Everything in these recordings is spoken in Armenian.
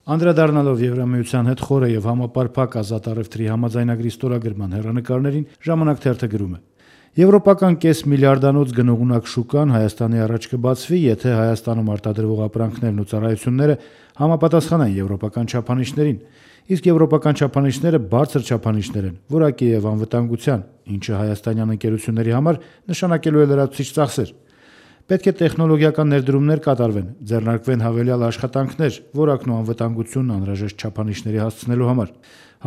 Անդրադառնալով Եվրամիության հետ խորը եւ համապարփակ ազատ առևտրի համաձայնագրի ստորագրման հեռանկարներին, Ժամանակ թերթը գրում է. Եվրոպական կես միլիարդանոց գնողունակ շուկան Հայաստանի առաջ կբացվի, եթե Հայաստանում արտադրվող ապրանքներն ու ծառայությունները համապատասխանեն եվրոպական չափանիշներին, իսկ եվրոպական չափանիշները բարձր չափանիշներ են, որակի եւ անվտանգության, ինչը հայաստանյան ընկերությունների համար նշանակելու է լրացուցիչ ծախսեր։ Պետք է տեխնոլոգիական ներդրումներ կատարվեն, ձեռնարկվեն հավելյալ աշխատանքներ, որակն ու անվտանգությունն անհրաժեշտ չափանիշների հասցնելու համար։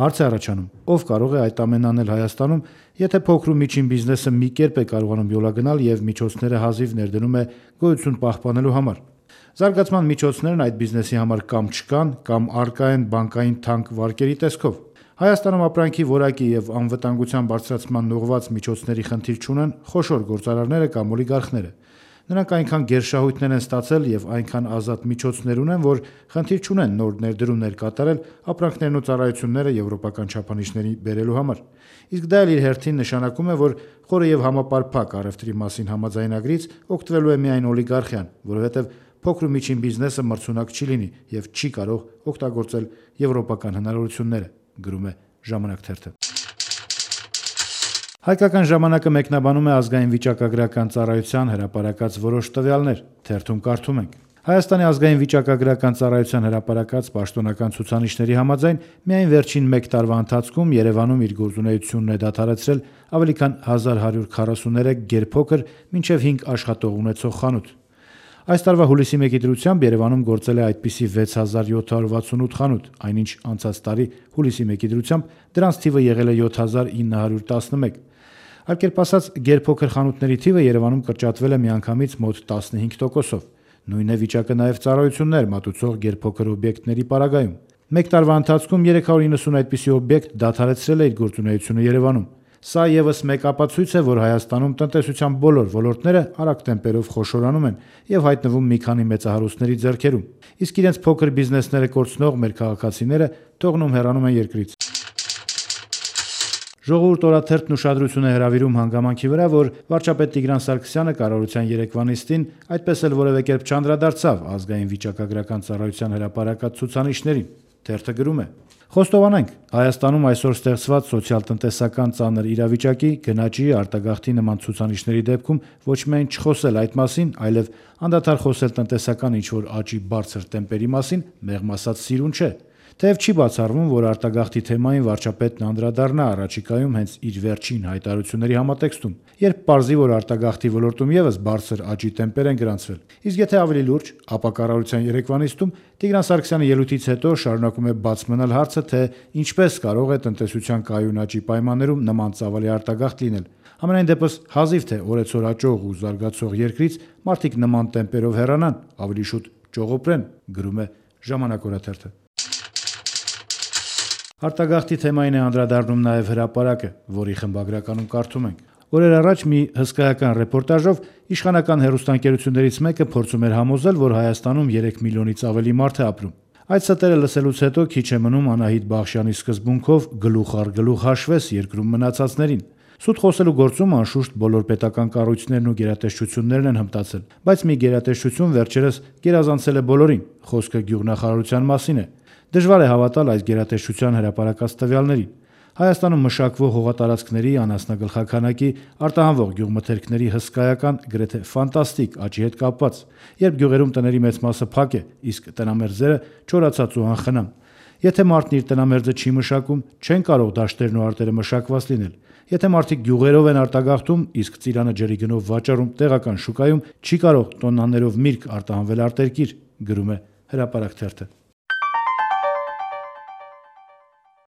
Հարց է առաջանում, ով կարող է այդ ամենն անել Հայաստանում, եթե փոքր ու միջին բիզնեսը մի կերպ է կարողանում յոլագնալ եւ միջոցները հազիվ ներդնում է գոյություն պահպանելու համար։ Զարգացման միջոցներն այդ բիզնեսի համար կամ չկան, կամ առկա են բանկային թանկ վարկերի տեսքով։ Հայաստանում ապրանքի որակի եւ անվտանգության բարձրացման ուղղված միջոցների խնդիր չունեն խոշոր գործարարները կամ օլիգարխները։ Նրանք այնքան գերշահույթներ են ստացել եւ այնքան ազատ միջոցներ ունեն, որ խնդիր չունեն նոր ներդրումներ կատարել ապրանքներն ու ծառայությունները եվրոպական չափանիշների բերելու համար։ Իսկ դա էլ իր հերթին նշանակում է, որ խորը եւ համապարփակ առևտրի մասին համաձայնագրից օգտվելու է միայն օլիգարխիան, որովհետեւ փոքր ու միջին բիզնեսը մրցունակ չի լինի եւ չի կարող օգտագործել եվրոպական հնարավորությունները, գրում է Ժամանակ թերթը։ Հայկական ժամանակը մեկնաբանում է ազգային վիճակագրական ծառայության հրապարակած որոշ տվյալներ, թերթում կարդում ենք. Հայաստանի ազգային վիճակագրական ծառայության հրապարակած պաշտոնական ցուցանիշների համաձայն միայն վերջին 1 տարվա ընթացքում Երևանում իր գործունեությունն է դադարեցրել ավելի քան 1143 գերփոքր մինչև 5 աշխատող ունեցող խանութ։ Այս տարվա հուլիսի 1-ի դրությամբ Երևանում գործել է այդպիսի 6768 խանութ, այնինչ անցած տարի հուլիսի 1-ի դրությամբ դրանց թիվը եղել է 7911։ Այլ կերպ ասած, գերփոքր խանութների թիվը Երևանում կրճատվել է միանգամից մոտ 15%-ով։ Նույն է վիճակը նաև ծառայություններ մատուցող գերփոքր օբյեկտների պարագայում։ 1 տարվա ընթացքում 390 այդպիսի օբյեկտ դադարեցրել է իր գործունեությունը Երևանում։ Սա եւս մեկ ապացույց է, որ Հայաստանում տնտեսության բոլոր ոլորտները արագ տեմպերով խոշորանում են եւ հայտնվում մի քանի մեծահարուստների ձեռքերում, իսկ իրենց փոքր բիզնեսները կորցնող մեր քաղաքացիները թողնում հեռանում են երկրից։ Ժողովուրդ օրաթերթն ուշադրություն է հրավիրում հանգամանքի վրա, որ վարչապետ Տիգրան Սարգսյանը կառավարության երեկվա նիստին այդպես էլ որևէ կերպ չանդրադարձավ ազգային վիճակագրական ծառայության հրապարակած ցուցանիշներին։ Թերթը գրում է. Խոստովանենք, Հայաստանում այսօր ստեղծված սոցիալ-տնտեսական ծանր իրավիճակի, գնաճի, արտագաղթի նման ցուցանիշների դեպքում ոչ միայն չխոսել այդ մասին, այլև անդադար խոսել տնտեսական ինչ-որ աճի բարձր տեմպերի մասին, մեղմ ասած սիրուն չէ։ Թեև չի բացառվում, որ արտագաղթի թեմային վարչապետն անդրադառնա առաջիկայում հենց իր վերջին հայտարարությունների համատեքստում, երբ պարզի, որ արտագաղթի ոլորտում եւս բարձր աճի տեմպեր են գրանցվել։ Իսկ եթե ավելի լուրջ, ապա կառավարության երեկվա նիստում Տիգրան Սարգսյանը ելույթից հետո շարունակում է բաց մնալ հարցը, թե ինչպես կարող է տնտեսության կայուն աճի պայմաններում նման ծավալի արտագաղթ լինել։ Համենայն դեպս հազիվ թե օրեցօր աճող ու զարգացող երկրից մարդիկ նման տեմպերով հեռանան, ավելի շուտ ճողոպրեն, գրում է Ժամանակ օրաթերթը։ Արտագաղթի թեմային է անդրադառնում նաև հրապարակը, որի խմբագրականում կարդում ենք. Օրեր առաջ մի հսկայական ռեպորտաժով իշխանական հեռուստաընկերություններից մեկը փորձում էր համոզել, որ Հայաստանում 3 միլիոնից ավելի մարդ է ապրում։ Այդ ստերը լսելուց հետո քիչ է մնում Անահիտ Բախշյանի սկզբունքով գլուխ առ գլուխ հաշվես երկրում մնացածներին։ Սուտ խոսելու գործում անշուշտ բոլոր պետական կառույցներն ու գերատեսչություններն են հմտացել, բայց մի գերատեսչություն վերջերս գերազանցել է բոլորին, խոսքը գյուղնախարարության մասին է։ Դժվար է հավատալ այս գերատեսչության հրապարակած տվյալներին։ Հայաստանում մշակվող հողատարածքների, անասնագլխաքանակի, արտահանվող գյուղմթերքների հսկայական, գրեթե ֆանտաստիկ աճի հետ կապված, երբ գյուղերում տների մեծ մասը փակ է, իսկ տնամերձերը չորացած ու անխնամ։ Եթե մարդն իր տնամերձը չի մշակում, չեն կարող դաշտերն ու արտերը մշակված լինել։ Եթե մարդիկ գյուղերով են արտագաղթում, իսկ ծիրանը ջրի գնով վաճառում տեղական շուկայում, չի կարող տոննաներով միրգ արտահանվել արտերկիր, գրում է Հրապարակ թերթը։